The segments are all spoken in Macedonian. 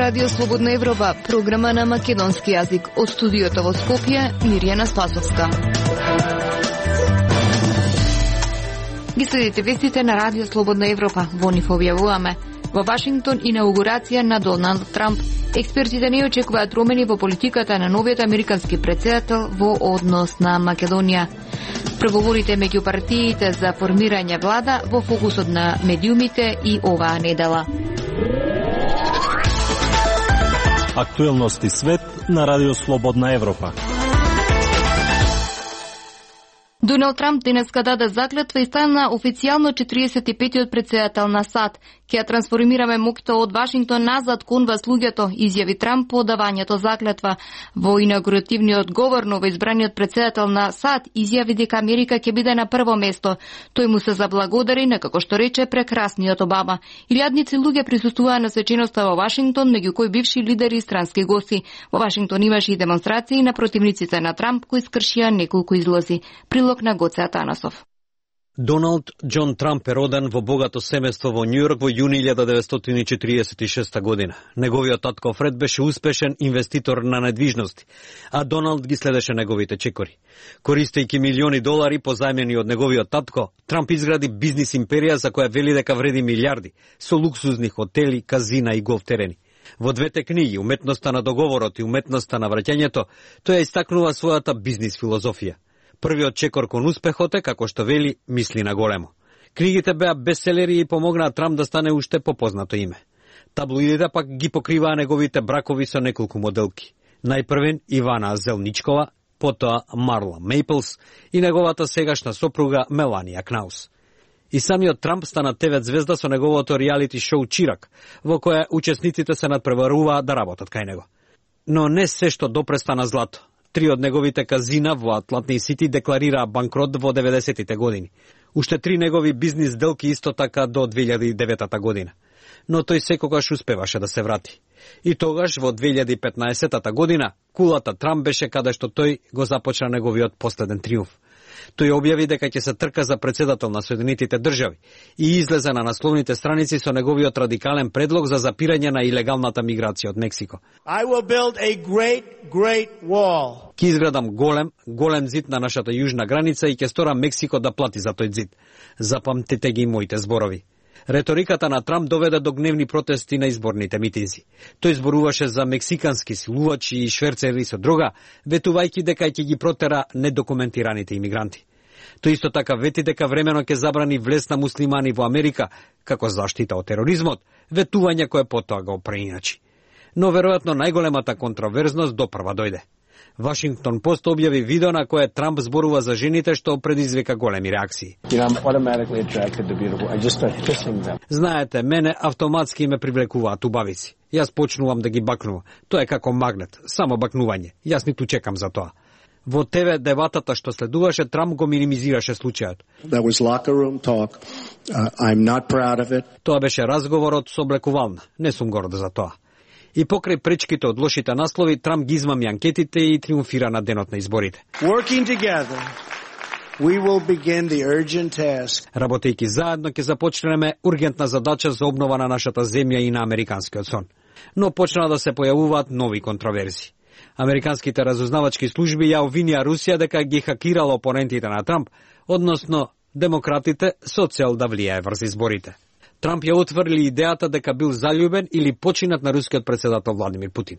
Радио Слободна Европа, програма на македонски јазик. Од студиото во Скопје, Мирјана Спасовска. Ги следите вестите на Радио Слободна Европа. Во нив објавуваме: во Вашингтон инаугурација на Доналд Трамп. Експертите не очекуваат промени во политиката на новиот американски претседател во однос на Македонија. Преговорите меѓу партиите за формирање влада во фокусот на медиумите и оваа недела. Актуелности свет на Радио Слободна Европа. Доналд Трамп денеска даде заклетва и стана официјално 45-тиот претседател на САД. Ќе ја трансформираме моќта од Вашингтон назад кон вас луѓето, изјави Трамп по давањето заклетва. Во инаугуративниот говор новоизбраниот претседател на САД изјави дека Америка ќе биде на прво место. Тој му се заблагодари на, како што рече, прекрасниот Обама. Илјадници луѓе присуствуваа на свеченоста во Вашингтон, меѓу кои бивши лидери и странски гости. Во Вашингтон имаше и демонстрации на противниците на Трамп кои скршија неколку излози. Прилог на Гоце Атанасов. Доналд Џон Трамп е роден во богато семејство во Њујорк во јуни 1946 година. Неговиот татко Фред беше успешен инвеститор на недвижности, а Доналд ги следеше неговите чекори. Користејќи милиони долари позајмени од неговиот татко, Трамп изгради бизнис империја за која вели дека вреди милиарди, со луксузни хотели, казина и голф терени. Во двете книги, Уметноста на договорот и Уметноста на враќањето, тој ја истакнува својата бизнис филозофија. Првиот чекор кон успехот е, како што вели, мисли на големо. Книгите беа бестселери и помогнаа Трамп да стане уште попознато име. Таблоидите пак ги покриваа неговите бракови со неколку моделки. Најпрвен Ивана Зелничкова, потоа Марла Мейплс и неговата сегашна сопруга Меланија Кнаус. И самиот Трамп стана ТВ звезда со неговото реалити шоу Чирак, во кое учесниците се надпреваруваа да работат кај него. Но не се што допреста на злато. 3 од неговите казина во Атлантик Сити декларираа банкрот во 90-тите години. Уште 3 негови бизнис сделки исто така до 2009 година. Но тој секогаш успеваше да се врати. И тогаш во 2015 година кулата Трамп беше каде што тој го започна неговиот последен триумф. Тој објави дека ќе се трка за председател на Соединетите држави и излезе на насловните страници со неговиот радикален предлог за запирање на илегалната миграција од Мексико. I will build a great wall. Ќе изградам голем зид на нашата јужна граница и ќе сторам Мексико да плати за тој зид. Запамтете ги моите зборови. Реториката на Трамп доведе до гневни протести на изборните митинзи. Тој зборуваше за мексикански силувачи и шверцери со дрога, ветувајќи дека ќе ги протера недокументираните имигранти. Тој исто така вети дека времено ќе забрани влез на муслимани во Америка, како заштита од тероризмот, ветување кое потоа го преиначи. Но веројатно најголемата контроверзност допрва дојде. Вашингтон Пост објави видео на кое Трамп зборува за жените што предизвика големи реакции. Знаете, мене автоматски ме привлекуваат убавици. Јас почнувам да ги бакнувам. Тоа е како магнет, само бакнување. Јас ниту чекам за тоа. Во ТВ дебатата што следуваше, Трамп го минимизираше случајот. Тоа беше разговорот со облекувална. Не сум горд за тоа. И покрај пречките од лошите наслови, Трамп ги измами анкетите и триумфира на денот на изборите. Работејќи заедно ќе започнеме ургентна задача за обнова на нашата земја и на американскиот сон. Но почна да се појавуваат нови контроверзи. Американските разузнавачки служби ја обвинија Русија дека ги хакирала опонентите на Трамп, односно демократите со цел да влијае врз изборите. Трамп ја отврли идејата дека бил заљубен или починат на рускиот претседател Владимир Путин.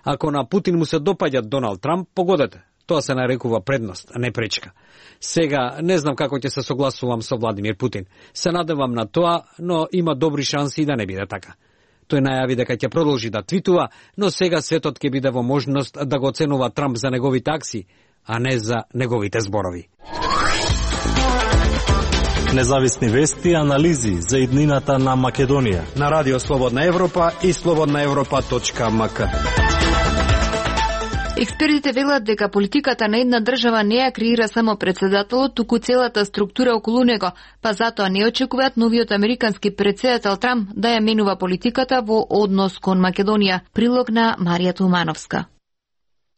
Ако на Путин му се допаѓа Доналд Трамп, погодете. Тоа се нарекува предност, а не пречка. Сега не знам како ќе се согласувам со Владимир Путин. Се надевам на тоа, но има добри шанси да не биде така. Тој најави дека ќе продолжи да твитува, но сега светот ќе биде во можност да го оценува Трамп за неговите акции, а не за неговите зборови. Независни вести и анализи за иднината на Македонија на Радио Слободна Европа и slobodnaevropa.mk. Експертите велат дека политиката на една држава не ја креира само председателот, туку целата структура околу него, па затоа не очекуваат новиот американски председател Трамп да ја менува политиката во однос кон Македонија. Прилог на Марија Тумановска.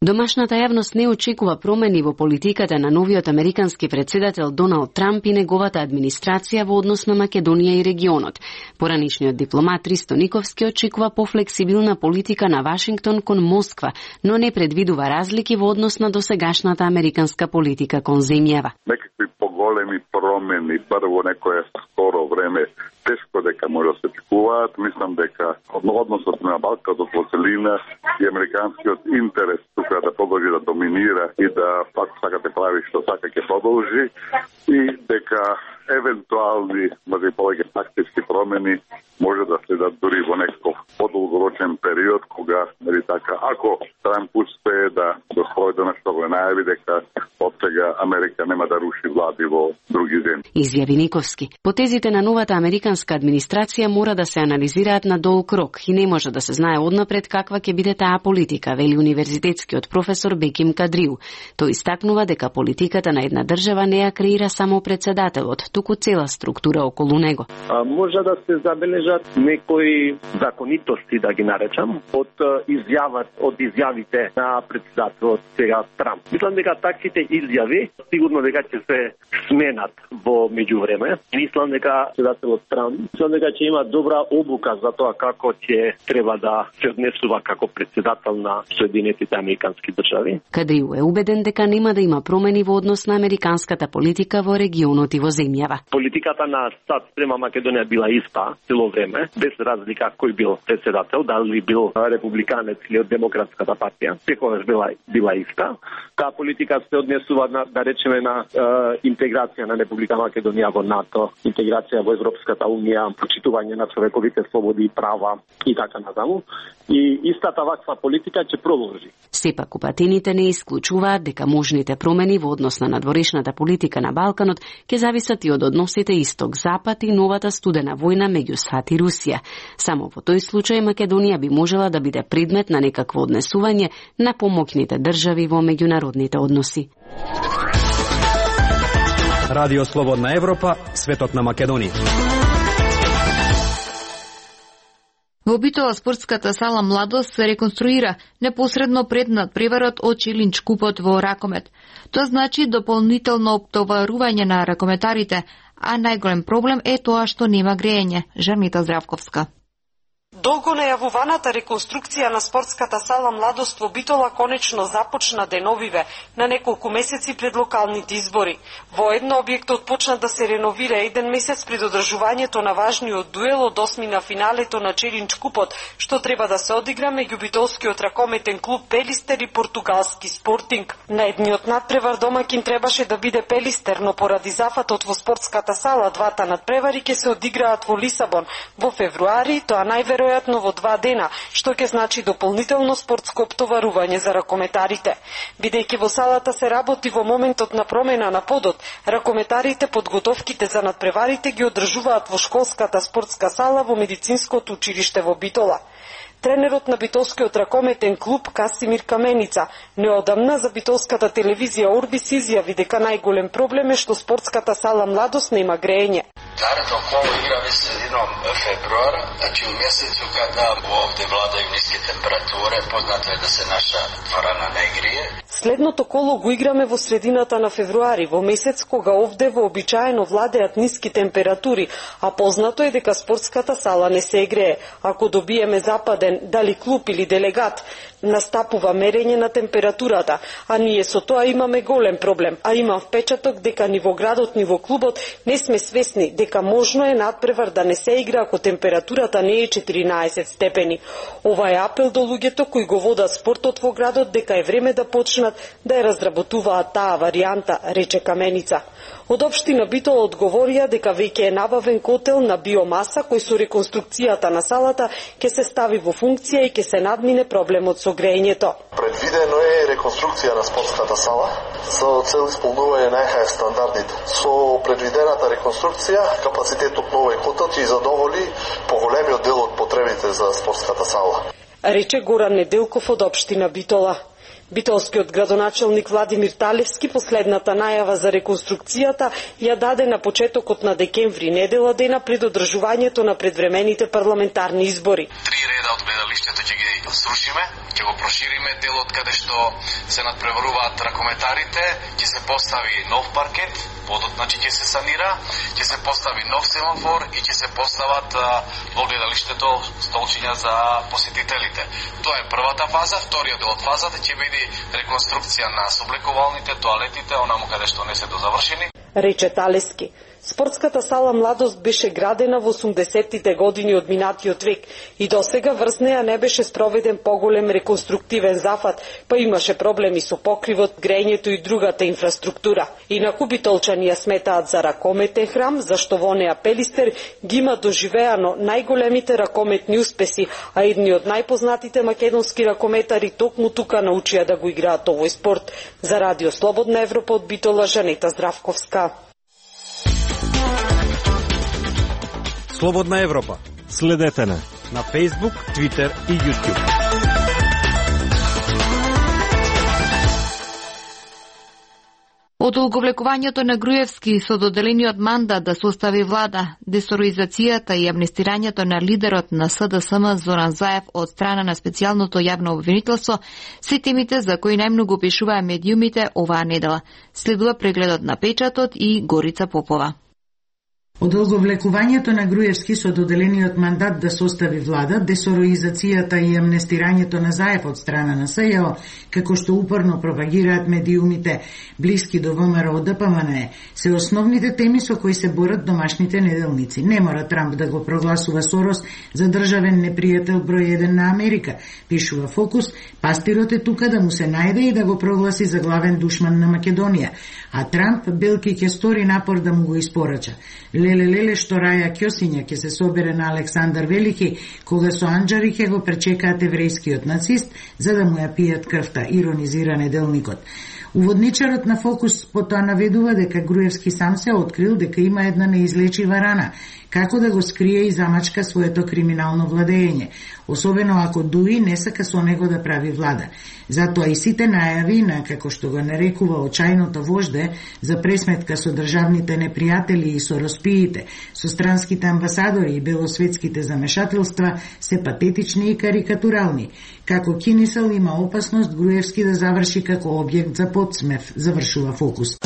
Домашната јавност не очекува промени во политиката на новиот американски председател Доналд Трамп и неговата администрација во однос на Македонија и регионот. Поранишниот дипломат Ристо Никовски очекува пофлексибилна политика на Вашингтон кон Москва, но не предвидува разлики во однос на досегашната американска политика кон земјава. Некакви поголеми промени, прво некое скоро време, тешко дека може да се очекуваат. Мислам дека односот на Балканот во целина и американскиот интерес тука да продолжи да доминира и да пак сакате прави што сака ќе продолжи и дека евентуални, може и повеќе тактички промени може да следат дури во некој подолгорочен период кога, нели така, ако Трамп успее да спроведе на што го најави дека од сега Америка нема да руши влади во други земји. Изјави Никовски. Потезите на новата американска администрација мора да се анализираат на долг рок и не може да се знае однапред каква ќе биде таа политика, вели универзитетскиот професор Беким Кадриу. Тој истакнува дека политиката на една држава не ја креира само председателот, туку цела структура околу него. Може да се забележат некои законитости, да ги наречам, од изјавите на председателот сега Трамп. Мислам дека таквите изјави сигурно дека ќе се сменат во меѓувреме. Мислам дека председателот Трамп ќе има добра обука за тоа како ќе треба да се однесува како председател на Соединетите американски држави. Кадриу е убеден дека нема да има промени во однос на американската политика во регионот и во земјава. Политиката на САД спрема Македонија била иста цело време, без разлика кој бил председател, дали бил републиканец или од Демократската партија, секогаш била иста. Таа политика се однесува на, да речеме, на интеграција на Република Македонија во НАТО, интеграција во Европската унија, почитување на човековите слободи и права и така натаму. И истата ваква политика ќе продолжи. Сепак упатените не исклучуваат дека можните промени во однос на надворешната политика на Балканот ќе зависат и од односите Исток-Запад и новата студена војна меѓу САД и Русија. Само во тој случај Македонија би можела да биде предмет на некакво однесување на помоќните држави во меѓународните односи. Радио Слободна Европа, светот на Македонија. Во Битола спортската сала Младост се реконструира непосредно пред надпреварот од Челинч купот во ракомет. Тоа значи дополнително оптоварување на ракометарите, а најголем проблем е тоа што нема грејење. Жернита Здравковска. Долго најавуваната реконструкција на спортската сала Младост во Битола конечно започна деновиве, на неколку месеци пред локалните избори. Воедно објектот почна да се реновира еден месец пред одржувањето на важниот дуел од осми на финалето на Челинч купот, што треба да се одигра меѓу битолскиот ракометен клуб Пелистер и португалски Спортинг. На едниот надпревар домакин требаше да биде Пелистер, но поради зафатот во спортската сала двата надпревари ќе се одиграат во Лисабон во февруари, тоа најверојатно во 2 дена, што ќе значи дополнително спортско оптоварување за ракометарите. Бидејќи во салата се работи во моментот на промена на подот, ракометарите подготовките за надпреварите ги одржуваат во школската спортска сала во медицинското училиште во Битола. Тренерот на битолскиот ракометен клуб Касимир Каменица неодамна за битолската телевизија Орбис изјави дека најголем проблем е што спортската сала Младост нема грејење. Наредно коло играме средином февруара, значи у месецу када овде владају ниски температуре, познато е да се наша дворана не грие. Следното коло го играме во средината на февруари, во месец кога овде вообичаено владеат ниски температури, а познато е дека спортската сала не се грее. Ако добиеме западен, дали клуб или делегат, настапува мерење на температурата, а ние со тоа имаме голем проблем, а имам впечаток дека ни во градот, ни во клубот не сме свесни дека можно е надпревар да не се игра ако температурата не е 14 степени. Ова е апел до луѓето кои го водат спортот во градот дека е време да почнат да ја разработуваат таа варијанта, рече Каменица. Од општина Битола одговорија дека веќе е набавен котел на биомаса кој со реконструкцијата на салата ќе се стави во функција и ќе се надмине проблемот со грејењето. Предвидено е реконструкција на спортската сала со цел исполнување на ЕХФ стандардите. Со предвидената реконструкција капацитетот на овој котел ќе задоволи поголемиот дел од потребите за спортската сала, рече Горан Неделков од општина Битола. Битолскиот градоначелник Владимир Талевски последната најава за реконструкцијата ја даде на почетокот на декември, недела дена пред одржувањето на предвремените парламентарни избори. 3 реда од гледалиштето ќе ги срушиме, ќе го прошириме делот каде што се надпреваруваат ракометарите, ќе се постави нов паркет, подот значи ќе се санира, ќе се постави нов семафор и ќе се постават во гледалиштето столчиња за посетителите. Тоа е првата фаза. Вториот дел од фазата ќе биде реконструкција на соблекувалните, тоалетите, онаму каде што не се дозавршени. Рече Талевски. Спортската сала Младост беше градена во 80-тите години од минатиот век и досега врз неа не беше спроведен поголем реконструктивен зафат, па имаше проблеми со покривот, грејењето и другата инфраструктура. Инаку битолчани ја сметаат за ракометен храм, зашто во неа Пелистер ги има доживеано најголемите ракометни успеси, а едни од најпознатите македонски ракометари токму тука научија да го играат овој спорт. За Радио Слободна Европа од Битола, Жанета Здравковска. Слободна Европа. Следете на Facebook, Twitter и YouTube. Од оговлекувањето на Груевски со доделениот мандат да состави влада, десороизацијата и амнестирањето на лидерот на СДСМ Зоран Заев од страна на специјалното јавно обвинителство се темите за кои најмногу пишуваа медиумите оваа недела. Следува прегледот на печатот и Горица Попова. Од оговлекувањето на Груевски со доделениот мандат да состави влада, десороизацијата и амнестирањето на Заев од страна на СЈО, како што упорно пропагираат медиумите блиски до ВМРО ДПМН, се основните теми со кои се борат домашните неделници. Не мора Трамп да го прогласува Сорос за државен непријател број 1 на Америка, пишува Фокус, пастирот е тука да му се најде и да го прогласи за главен душман на Македонија, а Трамп белки ќе стори напор да му го испорача. Леле што Раја Кјосиња ќе се собере на Александар Велики, кога со анџари ќе го пречекаат еврејскиот нацист, за да му ја пијат крвта, иронизира неделникот. Уводничарот на Фокус потоа наведува дека Груевски сам се открил дека има една неизлечива рана, како да го скрие и замачка своето криминално владење, особено ако дуи не сака со него да прави влада. Затоа и сите најави на, како што го нарекува, очајното вожде за пресметка со државните непријатели и со роспиите, со странските амбасадори и белосветските замешателства се патетични и карикатурални. Како кинисел има опасност Груевски да заврши како објект за подсмев, завршува Фокус.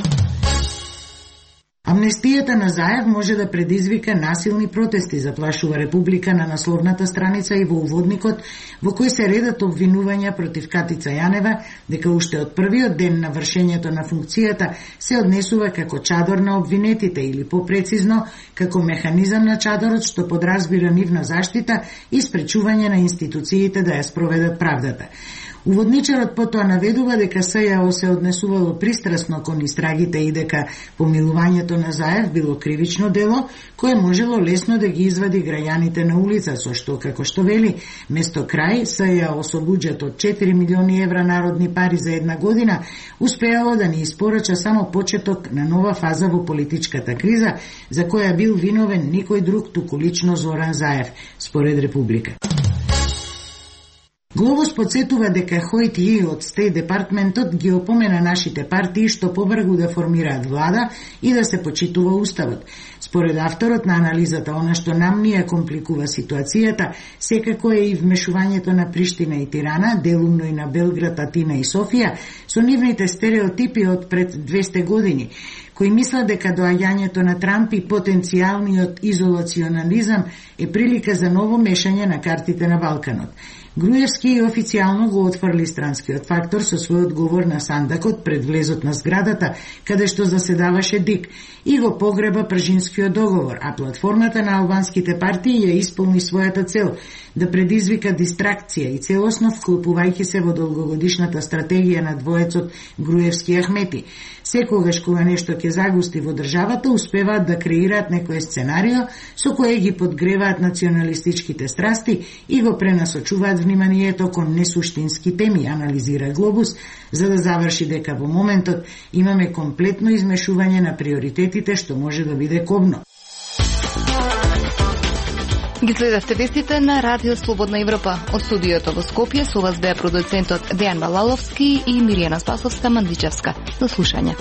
Амнестијата на Заев може да предизвика насилни протести, заплашува Република на насловната страница и во уводникот, во кој се редат обвинувања против Катица Јанева, дека уште од првиот ден на вршењето на функцијата се однесува како чадор на обвинетите или попрецизно како механизам на чадорот што подразбира нивна заштита и спречување на институциите да ја спроведат правдата. Уводничарот потоа наведува дека СЈО се однесувало пристрасно кон истрагите и дека помилувањето на Заев било кривично дело, кое можело лесно да ги извади граѓаните на улица, со што, како што вели, место крај СЈО со буџет од 4 милиони евра народни пари за една година, успеало да ни испорача само почеток на нова фаза во политичката криза, за која бил виновен никој друг туку лично Зоран Заев, според Република. Глобус подсетува дека Хојт Ји од Стејт департментот ги опомена нашите партии што побрзо да формираат влада и да се почитува уставот. Според авторот на анализата, она што нам ни ја компликува ситуацијата, секако е и вмешувањето на Приштина и Тирана, делумно и на Белград, Атина и Софија, со нивните стереотипи од пред 200 години, кои мислат дека доаѓањето на Трамп и потенцијалниот изолационализам е прилика за ново мешање на картите на Балканот. Груевски официјално го отфрли странскиот фактор со својот говор на сандакот пред влезот на зградата, каде што заседаваше ДИК, и го погреба Пржинскиот договор, а платформата на албанските партии ја исполни својата цел да предизвика дистракција и целосно вклопувајќи се во долгогодишната стратегија на двоецот Груевски Ахмети. Секогаш кога нешто ќе загусти во државата, успеваат да креираат некое сценарио со кое ги подгреваат националистичките страсти и го пренасочуваат вниманието кон несуштински теми, анализира Глобус, за да заврши дека во моментот имаме комплетно измешување на приоритетите што може да биде кобно. Ги следевте вестите на Радио Слободна Европа. Од студиото во Скопје со вас беа продуцентот Дејан Балаловски и Миријана Спасовска-Мандичевска. До слушање.